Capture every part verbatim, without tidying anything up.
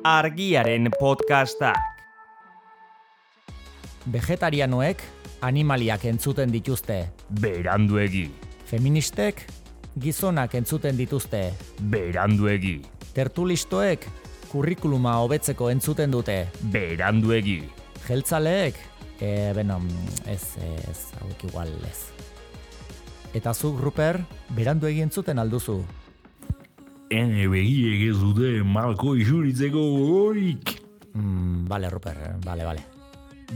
Argiaren podcastak. Vegetarianoek animaliak entzuten dituzte. Beranduegi. Feministek gizonak entzuten dituzte. Beranduegi. Tertulistoek kurrikuluma hobetzeko entzuten dute. Beranduegi. Jeltzaleek, e, beno, ez, ez, hauek igual ez. Eta zuk, Ruper, beranduegi entzuten alduzu. Ene begiek ez dute malko isuritzeko gogorik. Mm, bale, Ruper, bale, bale.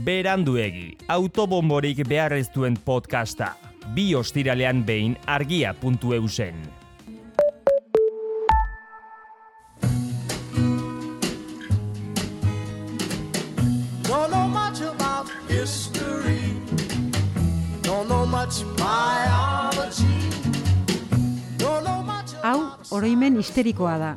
Beranduegi, autobomborik behar ez duen podcasta. Bi ostiralean behin argia puntu eusen. Don't know much about history. Don't know much biology. Don't know much Hau, oroimen histerikoa da.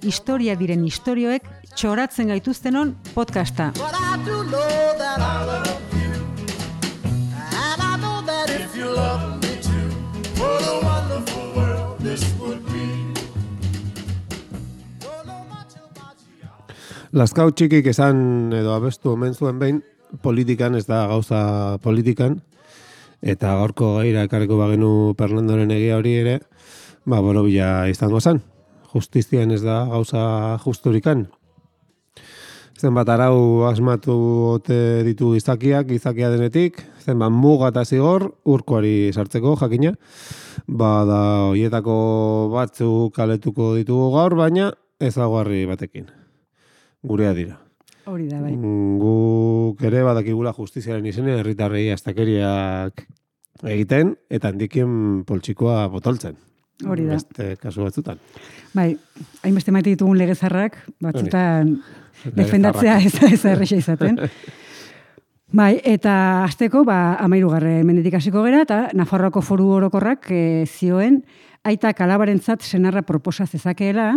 Historia diren istorioek txoratzen gaituztenon podcasta. But I do know that I love you. And I know that if you love me too, what a wonderful world this would be. Don't know much about you. Lazkau txikik esan edo abestu omen zuen behin, politikan, ez da gauza politikan, eta gaurko gaira ekarriko bagenu Fernandoren egia hori ere, ba, borobila izango zen. Justizian ez da gauza justurikan. Zenbat arau asmatu ote ditu gizakiak, gizakia denetik, zenbat muga eta zigor, urkoari sartzeko jakina, ba da hoietako batzuk kaletuko ditugu gaur, baina ezaguarri batekin. Gurea dira. Hori da, bai. Guk ere badakigula justiziaren izenean herritarrei astakeriak egiten, eta handikien poltsikoa botoltzen. Hori da. Beste kasu batzutan. Bai, hainbeste maite ditugun legezarrak, batzutan Hori. defendatzea ez da ez erresa izaten. Bai, eta hasteko ba hamahirugarren mendetik hasiko gera eta Nafarroako Foru Orokorrak e, zioen aita alabarentzat senarra proposa zezakeela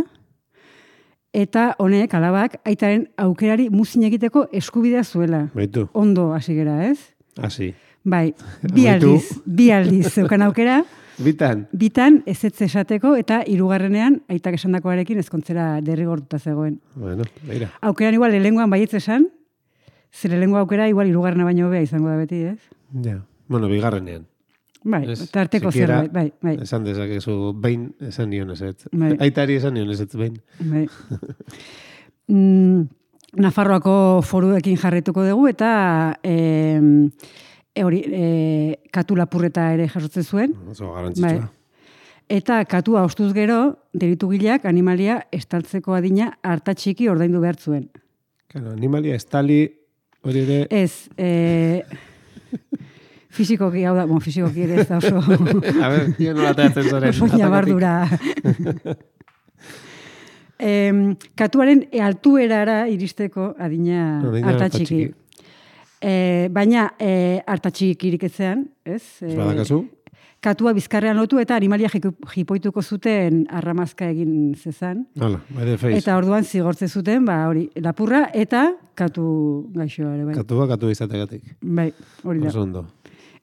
eta honek alabak aitaren aukerari muzin egiteko eskubidea zuela. Baitu, Ondo hasi gera, ez? hasi. Bai, bi Amaitu. aldiz, bi aldiz zeukan aukera. Bitan, Bitan ezetz esateko eta hirugarrenean aitak esandakoarekin ezkontzera derrigortuta zegoen. bueno, beira. Aukeran igual lehengoan baietz esan, zere lehengo aukera igual hirugarrena baino hobea izango da beti, ez? Ja. Bueno, bigarrenean. Bai, Ez, tarteko sikiera zerbait, bai, bai. Esan dezakezu, behin esan nion ezetz. Bai. Aitari esan nion ezetz behin. bai. mm, Nafarroako foruekin jarretuko dugu eta e, hori e, katu lapurreta ere jasotzen zuen. Oso garrantzitsua. Eta katua ostuz gero, deritugileak animalia estaltzeko adina harta txiki ordaindu behar zuen. Claro, animalia estali hori ere... Ez, e, fizikoki, hau da, bon, fizikoki ere ez da oso, A ber, jo nola teatzen zoren. oso nabardura. e, katuaren altuerara iristeko adina Adina harta harta txiki. txiki. E, baina e, harta txikirik etzean, ez? E, Ez badakazu? katua bizkarrean lotu eta animalia jiku- jipoituko zuten arramazka egin zezan. Hala, by the face. Eta orduan zigortze zuten, ba hori, lapurra eta katu gaixoa ere, bai. Katua, katu izategatik. Bai, hori da. Oso ondo.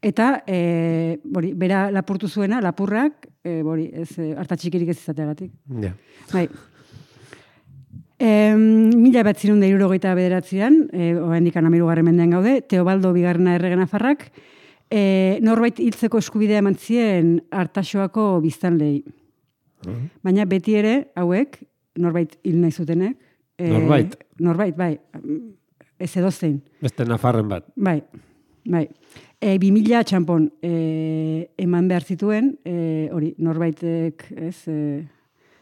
Eta e, hori, bera lapurtu zuena, lapurrak, e, hori, ez e, harta txikirik ez izateagatik. Ja. Bai. E, mila bat zirun da hirurogeita bederatzean, e, oraindik hamahirugarren mendean gaude, Teobaldo bigarrena errege Nafarrak, e, norbait hiltzeko eskubidea eman zien Artaxoako biztanleei. Baina beti ere, hauek, norbait hil nahi zutenek. e, Norbait? Norbait, bai. Ez edozein. Beste nafarren bat. Bai, bai. E, bi mila txampon e, eman behar zituen, e, hori, norbaitek, ez, e,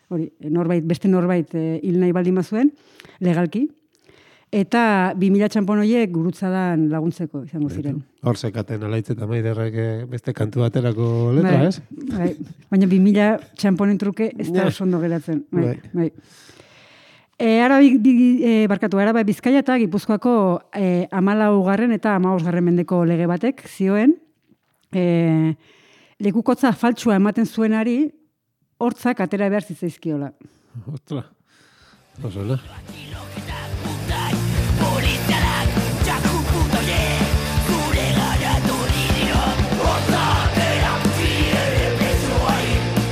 hori, norbait, beste norbait e, hil nahi baldin bazuen, legalki, eta bi mila txampon horiek gurutzadan laguntzeko izango ziren. Hor sekaten alaitz eta maiderrek eh, beste kantu baterako letra, Bai, ez? bai. Baina bi mila txamponen truke ez da Ja. oso ondo geratzen. Bai, Bai. bai. E, ara, bi, bi, e, barkatu, Araba Bizkaia eta Gipuzkoako e, amalaugarren eta hamabosgarren mendeko lege batek zioen, e, lekukotza faltsua ematen zuenari hortzak atera behar zitzaizkiola. Ostra. Oso, no?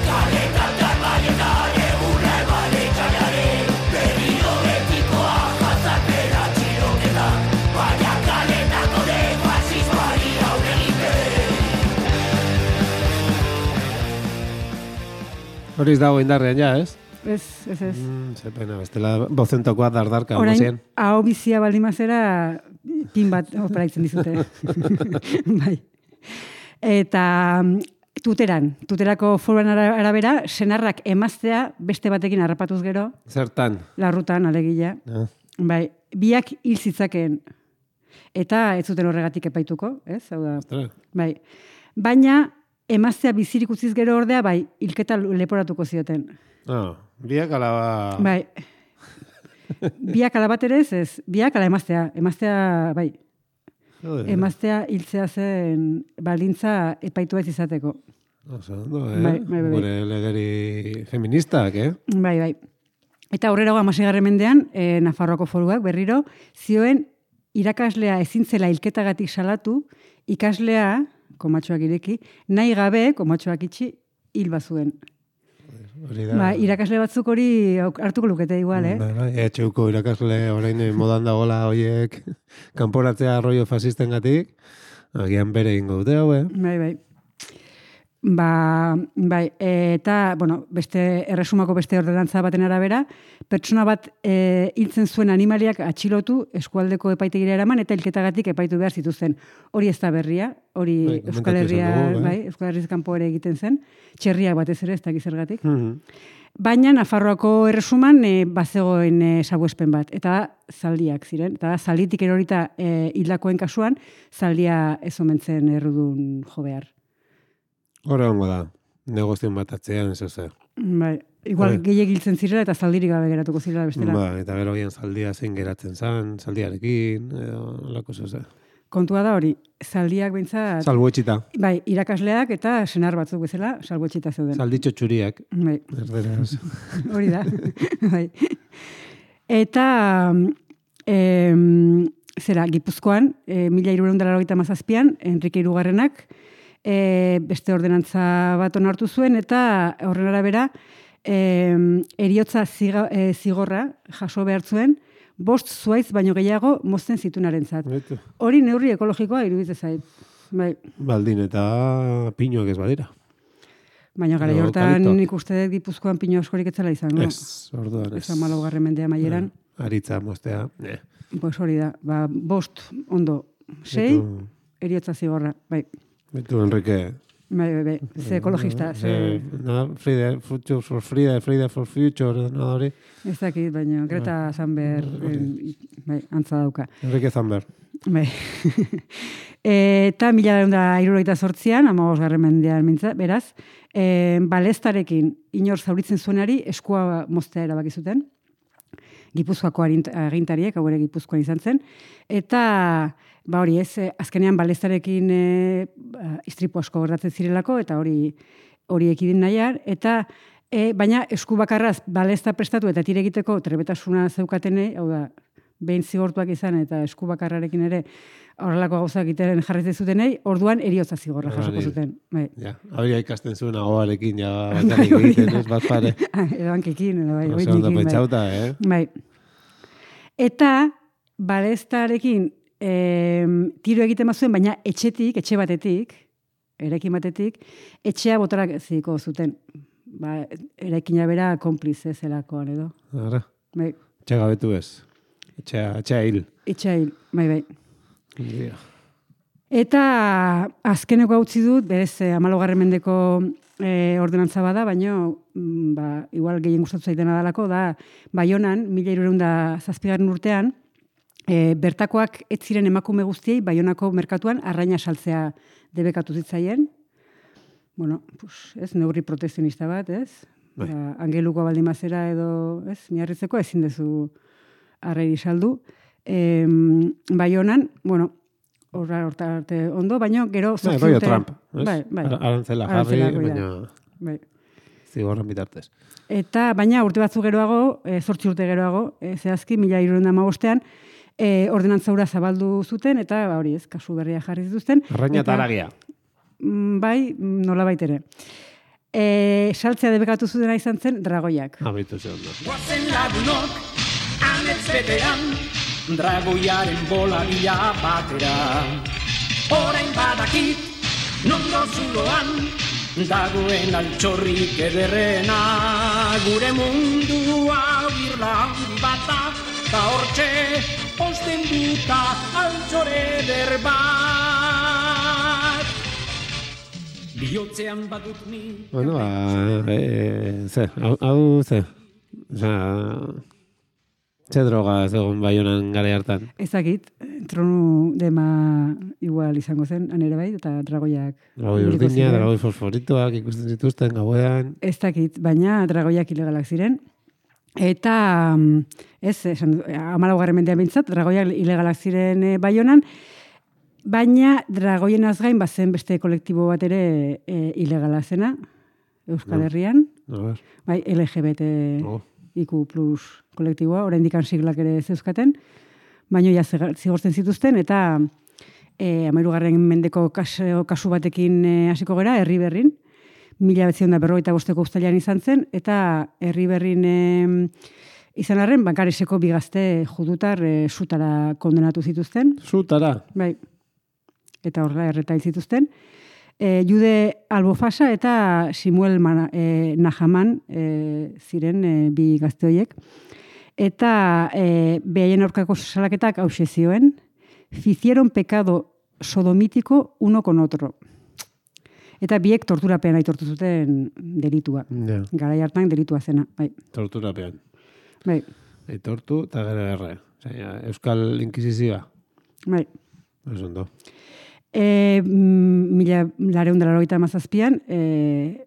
Kaletan Hori ez dago indarrean ja, ez? Ez, ez, ez. Mm, ze pena, bestela bozentokoa dardarka. Orain, gozien. hau bizia baldin mazera, pin bat operaitzen dizute. Bai. Eta tuteran, tuterako foruan arabera, senarrak emaztea beste batekin harrapatuz gero. Zertan? Larrutan, alegia. Ah. Bai, biak hil zitzakeen. Eta ez zuten horregatik epaituko, ez? Hau da. Ostras. Bai. Baina, emaztea bizirik utziz gero ordea, bai, hilketa leporatuko zioten. Ah, biak alaba... Bai. Biak ala bat ere ez, ez. Biak ala emaztea. Emaztea, bai. Joder. Emaztea hiltzea zen baldintza epaitu ez izateko. Oso, ondo, eh? Bai, bai, bai. Gure legeri feministak, eh? Bai, bai. Eta aurrera hamaseigarren mendean, e, Nafarroako foruak berriro, zioen irakaslea ezintzela hilketagatik salatu, ikaslea, komatxoak ireki, nahi gabe, komatxoak itxi, hil bazuen. Hori da. Ba, irakasle batzuk hori hartuko lukete igual, eh? Bai, bai, etxeuko irakasle orain modan dagoela hoiek kanporatzea arroio fasistengatik, agian bere ingo dute hau, eh? Bai, bai. Ba, bai, eta, bueno, beste erresumako beste ordenantza baten arabera, pertsona bat e, hiltzen zuen animaliak atxilotu eskualdeko epaitegira eraman eta hilketagatik epaitu behar zituzten. Hori ez da berria, hori Bai, Euskal komentatu Herria, izan dugu, bai. bai, Euskal Herriz kanpo ere egiten zen, txerriak batez ere, ez da gizergatik. Mhm. Baina Nafarroako erresuman e, bazegoen e, salbuespen bat, eta da zaldiak ziren, eta da zalditik erorita e, hildakoen kasuan, zaldia ez omentzen errudun jo behar. Hora hongo da, negozion bat atzean, ez zer. Bai, igual Bai. gehiek hiltzen zirela eta zaldirik gabe geratuko zirela bestela. Ba, eta gero gian zaldia zein geratzen zan, zaldiarekin, edo lako zeze. Kontua da hori, zaldiak behintzat, Salbuetxita, bai, irakasleak eta senar batzuk bezala salbuetxita zeuden. zalditxo txuriak, Bai, erderaz. hori da. Bai. Eta, em, zera, Gipuzkoan, e, mila hirurehun eta laurogeita hamazazpian, Enrike Hirugarrenak, e, beste ordenantza bat onartu zuen, eta horren arabera, e, eriotza ziga, e, zigorra jaso behar zuen, bost zuaiz baino gehiago mozten zitunarentzat. Baitu. Hori neurri ekologikoa iruditzen zait. Bai. Baldin eta pinuak ez badira. Baina gara Edo hortan eukaliptoak. nik uste dut Gipuzkoan pino askorik etzela izango. Ez, orduan ez. Ez amalaugarren mendea maieran. Aritza moztea. Eh. Pues hori da. Ba, bost, ondo, sei, Betu, eriotza zigorra. Bai, betu Enrique. bai, bai, bai. Ze ekologista, ze... Eh, nada, Friday, Future for Friday, Friday for Future, nada hori. Ez dakit, baina Greta Thunberg, eh, bai, antza dauka. Enrique Zamber. Bai. Eta mila da hirurogeita zortzian, hamabosgarren mendean mintza, beraz, e, balestarekin inor zauritzen zuenari eskua moztea erabaki zuten. Gipuzkoako arint- agintariek, hau ere Gipuzkoan izan zen. Eta, ba hori ez, eh, azkenean balestarekin e, ba, istripu asko gertatzen zirelako, eta hori hori ekidin nahiar, eta e, baina esku bakarraz balesta prestatu eta tire egiteko trebetasuna zeukatenei, hau da, behin zigortuak izan eta esku bakarrarekin ere horrelako gauzak egiten jarraitzen zutenei, orduan eriotza zigorra jasoko Hori. zuten. Bai. Ja, hori ikasten zuen ahoarekin, ja, bakarrik hori egiten, da. ez, bat pare. Edo hankekin, edo bai, Oso ondo oinekin, bai. pentsauta, eh? Bai. Eta balestarekin e, tiro egiten bazuen, baina etxetik, etxe batetik, erekin batetik, etxea botarak ziko zuten. Ba, erekina bera konplize zelakoan edo. Ara, Bai, txegabetu ez. Etxea, etxea hil. etxea hil, bai, bai. Ja. Eta azkeneko hau utzi dut, berez, amalogarren mendeko e, ordenantza bada, baina mm, ba, igual gehien gustatu zaitena dalako, da Baionan, mila hirurehun eta zazpigarren urtean, e, bertakoak ez ziren emakume guztiei Baionako merkatuan arraina saltzea debekatu zitzaien. Bueno, pues, ez, neurri protezionista bat, ez? Bai. Ba, angeluko baldimazera edo, ez, miarritzeko ezin dezu arrairi saldu. E, Baionan, bueno, horra horta arte ondo, baina gero Bai, zortzi rollo urte- Trump, ez? Bai, bai. Ar- Arantzela jarri, Arantzela, hori da. baina Bai. zigorran bitartez. Eta baina urte batzu geroago, e, zortzi urte geroago, e, zehazki, mila hirurehun eta hamabostean, e, ordinantza hura zabaldu zuten, eta ba, hori ez, kasu berria jarri zituzten. Arraina Eta- eta aragia. Mm, Bai, nolabait ere. E, saltzea debekatu zutena izan zen dragoiak. Abitu ze ondo. Guazen lagunok, amets betean, dragoiaren bola bila batera. Orain badakit, nondo zuloan, dagoen altxorrik ederrena, gure mundua birla handi bata, ta hortxe osten duta altxore eder bat. Bihotzean badut ni... Bueno, ba, e, ze, hau, hau ze, oza, ze droga zegoen Baionan gara hartan? Ezakit, tronu dema igual izango zen, anere bai, eta dragoiak... Dragoi urdina, dragoi fosforitoak ikusten zituzten gauean. Ez dakit, baina dragoiak ilegalak ziren. Eta, ez, esan, hamalaugarren mendean bintzat, dragoiak ilegalak ziren e, Baionan, baina dragoien azgain bazen beste kolektibo bat ere e, ilegala zena, Euskal Herrian. No, bai, L G B T no. I Q plus kolektiboa, oraindik siglak ere zeuzkaten, baina ja zigortzen zituzten, eta e, hamahirugarren mendeko kasu, kasu batekin e, hasiko gera, herri berrin, mila bezion da berrogeita bosteko uztailean izan zen, eta herri berrin e, izan arren, bankareseko bigazte judutar e, sutara kondenatu zituzten. Sutara? Bai, eta horrela erretail zituzten. E, Jude Albofasa eta Simuel Mana, e, Nahaman e, ziren e, bi gazte horiek. Eta e, behaien aurkako salaketak hause zioen, hicieron pecado sodomítico uno con otro. Eta biek torturapean aitortu zuten delitua. Ja. Garai hartan delitua zena. Bai. Torturapean. Bai. Aitortu eta gero erre. Osea, Euskal Inkisizioa. Bai. Ez ondo. E, mila lareun dela logeita amazazpian, e,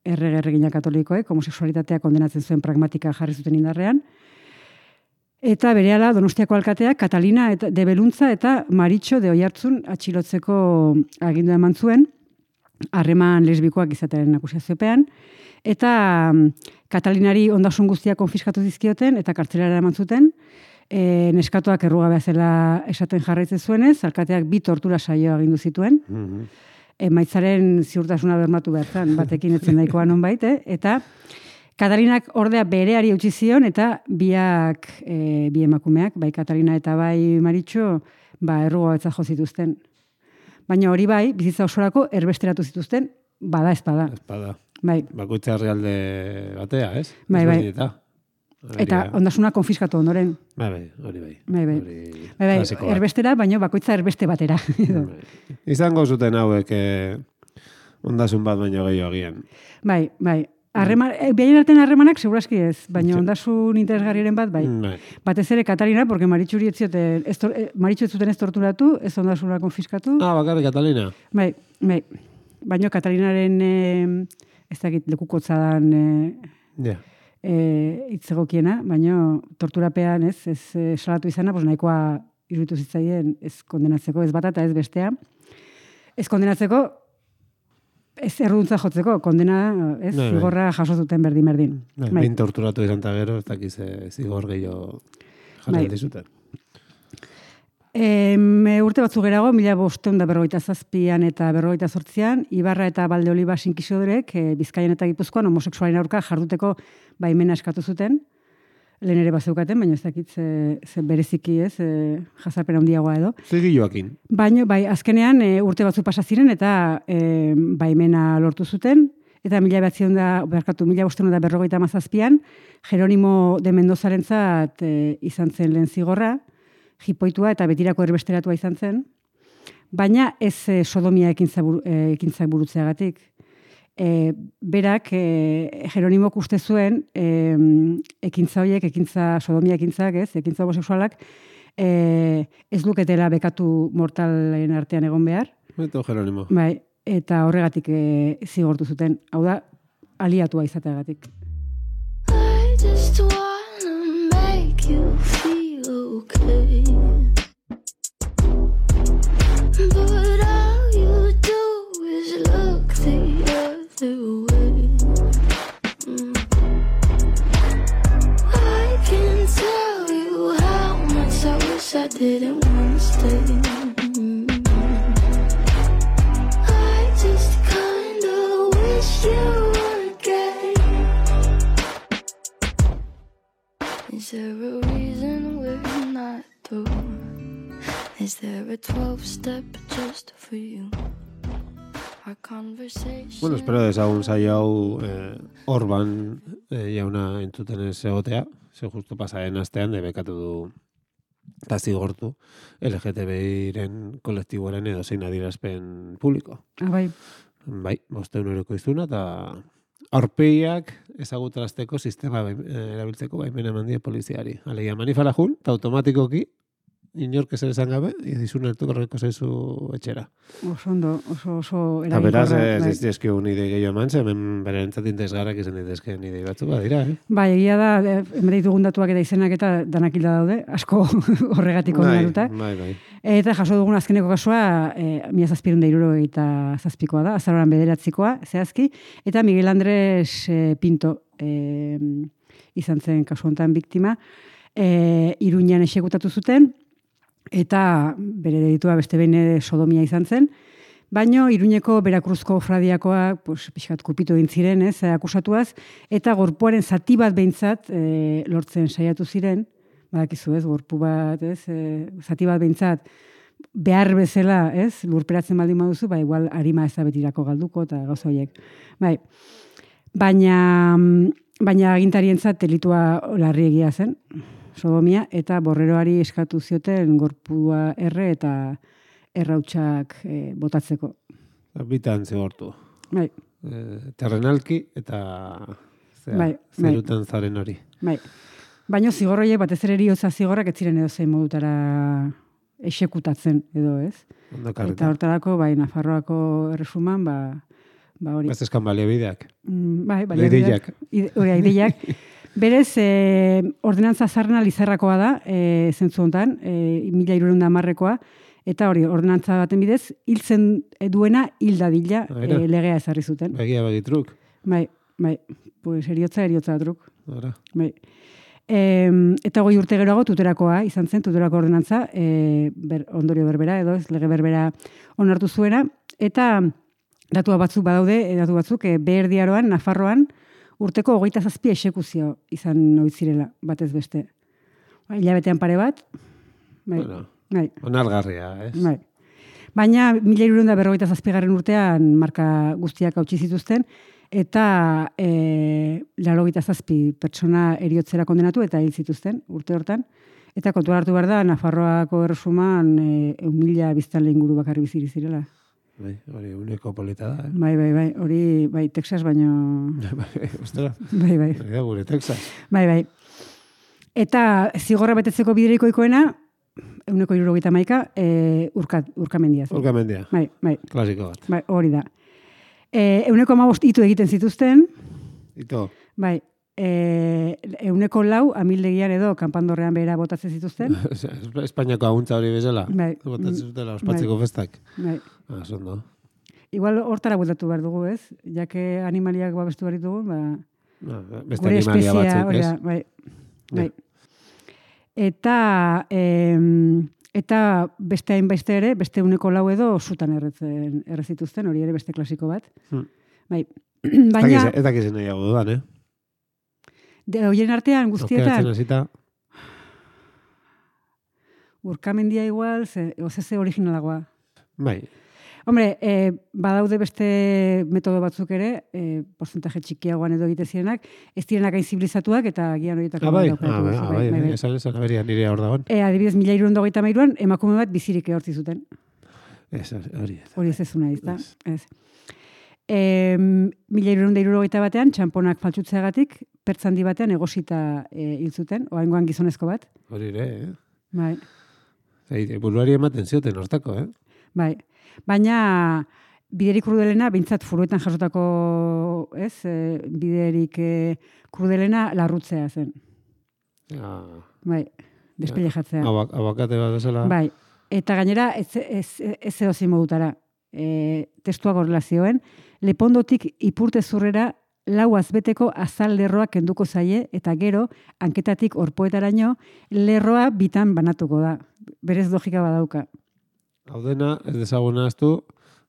errege erregina katolikoek, homoseksualitatea kondenatzen zuen pragmatika jarri zuten indarrean. Eta berehala Donostiako alkateak Catalina eta de Beluntza eta Maritxo de Oiartzun atxilotzeko agindu eman zuen, harreman lesbikoak izatearen akusiaziopean, eta Katalinari ondasun guztia konfiskatu dizkioten eta kartzelara eman zuten. E, neskatuak errugabea zela esaten jarraitzen zuenez, alkateak bi tortura saio agindu zituen. Mm-hmm. Emaitzaren ziurtasuna bermatu behar zen, batekin etzen daikoa nonbait, eh? Eta Katalinak ordea bereari utzi zion, eta biak, e, bi emakumeak, bai Katalina eta bai Maritxo, ba, errugabetza jo zituzten. Baina hori bai, bizitza osorako erbesteratu zituzten, bada espada. Espada. Bai. Bakoitza herrialde batea, ez? Bai, bai. Eta, eta ondasuna konfiskatu ondoren. Bai, bai, hori bai. Bai, bai. Hori bai, bai, klasikoa. erbestera, baina bakoitza erbeste batera. Bai. Izango zuten hauek eh, ondasun bat baino gehiago agian. Bai, bai. Harreman, eh, behaien artean harremanak segurazki ez, baina Sí. ondasun interesgarriaren bat, bai. Bai. Batez ere Katalina, porque Maritxuri ez zioten, ez, tor- eh, Maritxu ez zuten ez torturatu, ez ondasuna konfiskatu. Ah, bakarrik Catalina. Bai, bai. Baina Katalinaren eh, ez dakit lekukotza dan eh, Ja. eh, itzegokiena, baina torturapean ez, ez eh, salatu izana, pues nahikoa iruditu zitzaien ez kondenatzeko, ez bata eta ez bestea. Ez kondenatzeko, ez erruduntza jotzeko, kondena, ez, Bai, bai. zigorra jaso zuten berdin-berdin. Bai, Bai. behin torturatu izan eta gero, ez dakiz eh, zigor gehiago jarri Bai. aldi zuten. E, urte batzu gerago, mila bosteun da berrogeita zazpian eta berrogeita zortzian, Ibarra eta Valdeoliva sinkizodorek e, Bizkaian eta Gipuzkoan homoseksualen aurka jarduteko baimena eskatu zuten. Lehen ere bazeukaten, baina ez dakit ze, ze bereziki ez, e, jazarpen handiagoa edo. Zigi Joakin. Baina, bai, azkenean e, urte batzu pasa ziren eta e, baimena lortu zuten, eta mila behatzion da, berkatu, mila bosteun da berrogeita mazazpian, Jeronimo de Mendozarentzat e, izan zen lehen zigorra, jipoitua eta betirako erbesteratua izan zen, baina ez e, sodomia ekintza, buru, e, ekintza burutzeagatik. E, berak, e, Jeronimok uste zuen, e, ekintza horiek, ekintza, sodomia ekintzak, ez, ekintza homosexualak, e, ez luketela bekatu mortalen artean egon behar. Eta Jeronimo. Bai, eta horregatik e, zigortu zuten. Hau da, aliatua izateagatik. I just wanna make you feel okay. But all you do is look the other way. Mm. I can tell you how much I wish I didn't want to stay. Mm. I just kinda wish you were gay. Is there a reason we're not through? Is there a twelve-step just for you? our conversation. Bueno, espero dezagun saio hau eh, Orban eh, jauna entzuten ez egotea, ze justu pasaren astean debekatu du eta zigortu L G T B I-ren kolektiboaren edo zein adierazpen publiko. Ah, bai. Bai, bosteun euroko izuna eta aurpegiak ezagutarazteko sistema bai, erabiltzeko baimena eman die poliziari. Alegia manifala jun, eta automatikoki inork ezer esan gabe, izun hartuko horreko zaizu etxera. Oso ondo, oso, oso Eta beraz, eraginkorra, ez bai. dizkio nide gehiago eman, ze hemen bere entzat interesgarrak izan daitezke nide batzu badira, eh? Bai, egia da, eh, hemen ditugun datuak eta izenak eta danak hilda daude, asko horregatik Bai, oinarruta. bai, bai. Eta jaso dugun azkeneko kasua, e, mila zazpirun da iruro eta zazpikoa da, azaroran bederatzikoa, zehazki, eta Miguel Andres e, Pinto e, izan zen kasu honetan biktima, e, Iruñan exekutatu zuten, eta bere delitua beste behin ere sodomia izan zen, baino Iruñeko Berakruzko fradiakoak pues, pixkat kupitu egin ziren, ez, akusatuaz, eta gorpuaren zati bat behintzat e, lortzen saiatu ziren, badakizu ez, gorpu bat, ez, e, zati bat behintzat, behar bezala, ez, lurperatzen baldin baduzu, ba, igual arima ez da betirako galduko, eta gauza horiek. Bai, baina, baina agintarientzat delitua larri egia zen, sodomia, eta borreroari eskatu zioten gorpua erre eta errautsak e, botatzeko. Bitan zigortu. Bai, E, terrenalki eta zera, Bai, bai. zerutan zaren hori. bai. Baina zigorroiek batez ere eriotza zigorrak ez ziren edo zein modutara esekutatzen edo ez. Ondo Eta karreta. hortarako, bai, Nafarroako erresuman, ba, ba hori. Ez eskan baliabideak. Mm, bai, bai. Ideiak. Hori, ideiak. Berez, e, ordenantza zarrena Lizarrakoa da, e, zentzu honetan, e, mila hirurehun eta hamarrekoa, eta hori, ordenantza baten bidez, hiltzen duena hil dadila Aira. e, legea ezarri zuten. Begia begitruk. Bai, bai, pues eriotza, eriotza truk. Ara. Bai. E, eta goi urte geroago tuterakoa izan zen, tuterako ordenantza, e, ber, ondorio berbera edo ez, lege berbera onartu zuena, eta datu batzuk badaude, e, datu batzuk, e, Beherdiaroan, Nafarroan, urteko hogeita zazpi exekuzio izan noitzirela, batez beste. Ba, hilabetean pare bat, bai, Bueno, bai, onargarria, ez? bai. Baina, mila hirurehun eta berrogeita zazpigarren urtean marka guztiak hautsi zituzten, eta e, laurogeita zazpi pertsona eriotzera kondenatu eta hil zituzten urte hortan. Eta kontuan hartu behar da, Nafarroako erresuman e, eun mila biztanle inguru bakarri biziri zirela. Bai, hori uneko polita da, eh? Bai, bai, bai, hori, bai, Texas, baino... Bai, ostera, Bai, bai, hori da gure Texas. bai, bai. Eta zigorra betetzeko bidereikoikoena, euneko hirurogeita hamaika, e, urka, urkamendia zen. Urkamendia, Bai, bai, klasiko bat. bai, hori da. E, euneko hamabost itu egiten zituzten, Ito, bai, e, euneko lau amildegian edo kanpandorrean behera botatzen zituzten. Espainiako aguntza hori bezala. Bai. Botatzen zutela, ospatzeko festak. Bai. Ah, zondo. Igual hortara bueltatu behar dugu, ez? Jake animaliak babestu behar ditugu, ba, Ah, beste gure animalia espeziea, batzuk, hori ez? da, bai. Ja. Bai. Eta, em, eta beste hainbeste ere, beste uneko lau edo sutan erretzen, errezituzten, hori ere beste klasiko bat. Hmm. Bai. Baina, Ez dakiz nahiago dudan, eh? de, horien artean guztietan, Okeatzen hasita, urkamendia igual, ze, ozeze originalagoa. bai. Hombre, e, badaude beste metodo batzuk ere, e, porcentaje txikiagoan edo egite zirenak, ez direnak hain zibilizatuak eta gian horietako Ah, bai, bat ah, aukeratu bai, duzu, ah, bai, bai, esan esan aberia nire hor dagoen. E, adibidez, mila hirurehun eta hogeita hamairuan, emakume bat bizirik ehortzi zuten. Ez, hori. Hori ez ezuna, ez da? Ez. Ez. E, mila hirurehun eta hirurogeita batean, txamponak faltsutzeagatik, pertzandi batean egosita e, hil zuten, oraingoan gizonezko bat. Hori ere, eh? Bai, Ei, buruari ematen zioten hortako, eh? bai. Baina biderik krudelena, bintzat furuetan jasotako, ez, e, biderik e, krudelena larrutzea zen. Ja, Bai, despelejatzea. abak, abakate bat bezala. Bai, eta gainera ez, ez, ez edozein modutara. E, testuak horrela zioen, lepondotik ipurte zurrera lau azbeteko azal lerroa kenduko zaie, eta gero, hanketatik orpoetaraino, lerroa bitan banatuko da. Berez logika badauka. Hau dena, ez dezaguna aztu,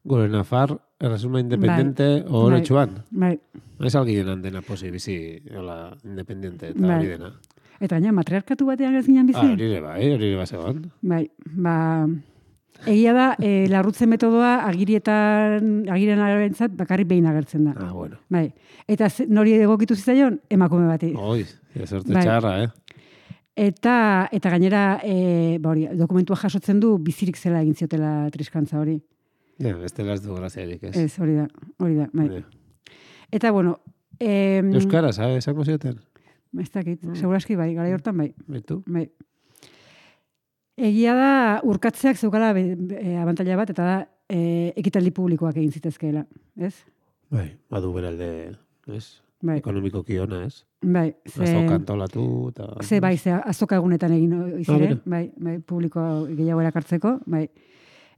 gure Nafar, erresuma independente Bai. horretxuan. Bai, Ez algien handena posi bizi, hola, independiente eta Bai. hori dena. eta gaina matriarkatu batean ez ginen bizi. Ah, hori ere bai, hori ere bazegoan. Bai, ba, Egia da, e, larrutze metodoa agirietan, agiren arabentzat bakarrik behin agertzen da. Ah, bueno. Bai. Eta ze- nori egokitu zitzaion, emakume bati. Oi, ezerte Bai. txarra, eh? Eta, eta gainera, e, ba hori, dokumentua jasotzen du bizirik zela egin ziotela triskantza hori. Ja, bestela ez du graziarik, ez? Ez, hori da, hori da, bai. Ja. Eta, bueno, e, Euskara, sabe, esango zioten? ez dakit, seguraski bai, gara hortan bai. Betu? Bai. Egia da, urkatzeak zeukala be, be, abantaila bat, eta da, e, ekitaldi publikoak egin zitezkeela, ez? Bai, badu beralde, ez? Bai, Ekonomiko kiona, ez? bai. Ze, Azoka antolatu, eta... ze bai, ze azoka egunetan egin iziren, Ah, bai, bai, publiko gehiago erakartzeko, bai.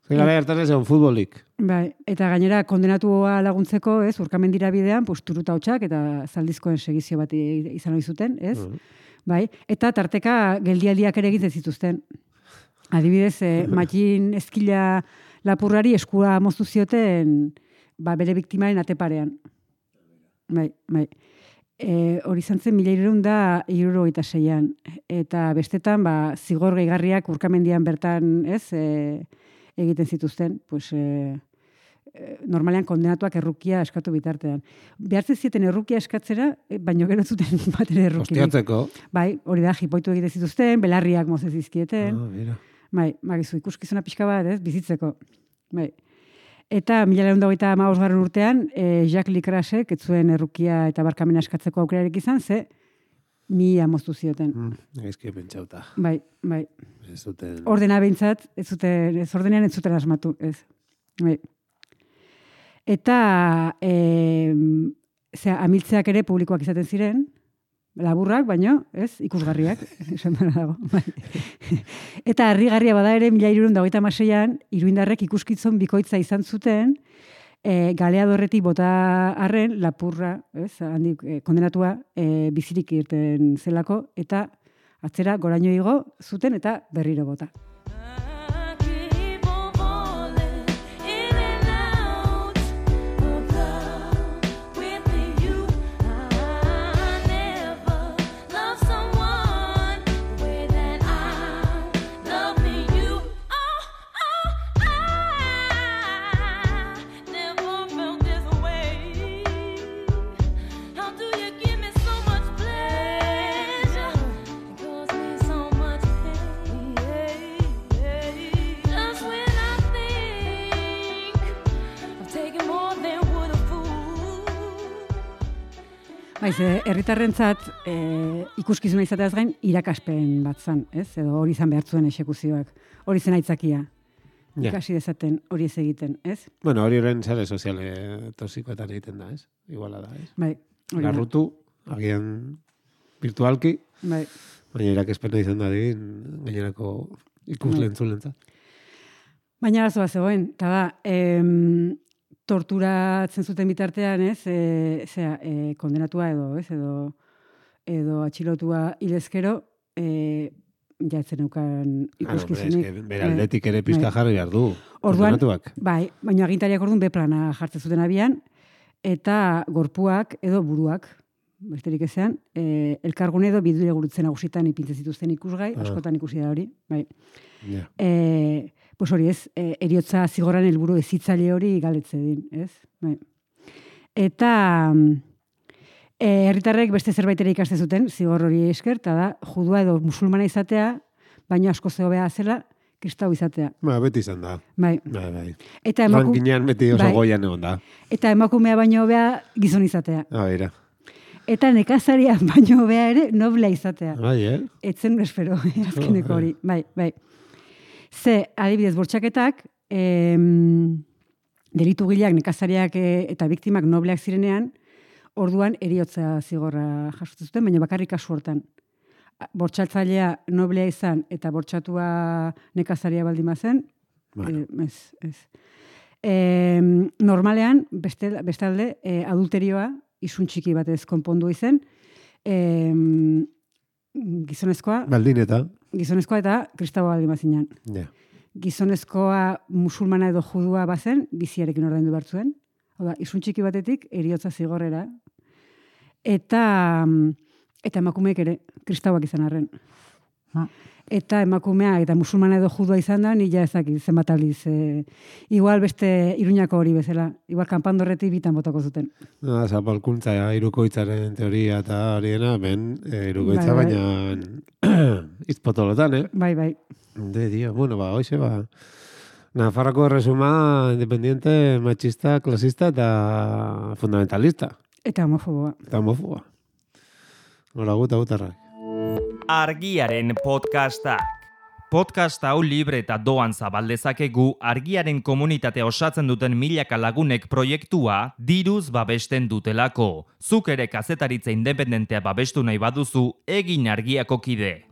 Ze gara hartan ez egon futbolik. Bai, eta gainera kondenatua laguntzeko, ez, urkamendira bidean, pues, turuta hotxak eta zaldizkoen segizio bat i- izan ohi zuten, ez? Mhm. Bai, eta tarteka geldialdiak ere egiten zituzten. Adibidez, eh, Matxin Eskila lapurrari eskua moztu zioten ba, bere biktimaren ateparean. Bai, bai. E, hori izan zen mila hirurehun da hirurogeita seian. Eta bestetan, ba, zigor gehigarriak urkamendian bertan, ez, e, egiten zituzten, pues, e, e, normalean kondenatuak errukia eskatu bitartean. Behartzen zieten errukia eskatzera, e, baino gero ez zuten bat ere errukirik. Ostiatzeko. Bai, hori da, jipoitu egiten zituzten, belarriak moze zizkieten. Ah, mira. Bai, magizu, ikuskizuna pixka bat, ez, bizitzeko. Bai. Eta mila laurehun eta hogeita hamabosgarren urtean, e, Jacques Licrasek ez zuen errukia eta barkamena eskatzeko aukerarik izan, ze mila moztu zioten. Mm, Gaizki pentsauta. Bai, bai. Ez duten... Ordena behintzat, ez zuten, ez ordenean ez zuten asmatu, ez. Bai. Eta, e, zera, amiltzeak ere publikoak izaten ziren, laburrak, baino, ez, ikusgarriak, esan dara dago. Bai. Eta harrigarria bada ere, mila hirurehun eta hogeita hamaseian, iruindarrek ikuskitzon bikoitza izan zuten, e, galeadorretik bota arren, lapurra, ez, handik, e, kondenatua, e, bizirik irten zelako, eta atzera goraino igo zuten eta berriro bota. Keep on falling in and out of love with you. I never loved someone the way that I'm loving you. Oh, oh, I never felt this way. How do you give me so much pleasure? It causes me so much pain. Just when I think I'm taking more than would a fool. Baiz, eh, herritarrentzat e, ikuskizuna izateaz gain irakaspen bat zan, ez? Edo hori izan behar zuen exekuzioak. Hori zen aitzakia. Ja. Ikasi dezaten hori ez egiten, ez? Bueno, hori horren sare soziale toxikoetan egiten da, ez? Iguala da, ez? Bai, hori da. Larrutu, agian virtualki, Bai. baina irakespena izan da digin, gainerako ikusle Bai. entzulentzat. Baina arazoa zegoen, eta da, em, torturatzen zuten bitartean, ez, e, zera, e, kondenatua edo, ez, edo, edo atxilotua hilezkero, e, jatzen eukan Ah, hombre, ikuskizunik. eske bere aldetik ere pizka jarri behar du. Orduan, kondenatuak. bai, baina agintariak orduan B plana jartzen zuten abian, eta gorpuak edo buruak, besterik ezean, e, elkargune edo bidure gurutzen nagusitan ipintzen zituzten ikusgai, Ah. askotan ikusi da hori, bai. Ja. E, pues hori ez, e, eriotza zigorran helburu ezitzaile hori galetze din, ez? Bai. Eta e, herritarrek beste zerbait ere ikaste zuten, zigor hori esker, eta da, judua edo musulmana izatea, baina asko zehobea zela, kristau izatea. Ba, beti izan da. Bai. Bai, bai. Eta, emaku... Rankinean beti oso bai. goian egon da. eta emakumea baino hobea gizon izatea. Ah, beira. Eta nekazaria baino hobea ere noblea izatea. Bai, eh? Etzen espero, azkeneko hori. Bai, bai. Ze, adibidez, bortxaketak, em, delitu gileak, nekazariak e, eta biktimak nobleak zirenean, orduan eriotza zigorra jasotzen zuten, baina bakarrik kasu hortan. Bortxatzailea noblea izan eta bortxatua nekazaria baldin bazen, Bueno. e, ez, ez. E, normalean, beste, bestalde, e, adulterioa, isun txiki batez konpondu izen, e, gizonezkoa, Baldin eta. gizonezkoa eta kristaua baldin bazinan. Ja. Gizonezkoa musulmana edo judua bazen, biziarekin ordaindu behar zuen. Hau da, isun txiki batetik eriotza zigorrera. Eta, eta emakumeek ere kristauak izan arren. Eta emakumea eta musulmana edo judua izan da, nila ezakit zenbat aldiz. E, igual beste Iruñako hori bezala. Igual kanpandorretik bitan botako zuten. No, zapalkuntza, irukoitzaren teoria eta horiena, ben, e, irukoitza Bai, bai. baina izpotolotan, eh? Bai, bai. De, dio, bueno, ba, hoxe, ba, Nafarroko erresuma independiente, machista, klasista eta fundamentalista. Eta homofoboa. Eta homofoba. Hora guta gutarrak. Argiaren podcastak. Podcast hau libre eta doan zabaldezakegu argiaren komunitatea osatzen duten milaka lagunek proiektua diruz babesten dutelako. Zuk ere kazetaritza independentea babestu nahi baduzu, egin Argiako kide.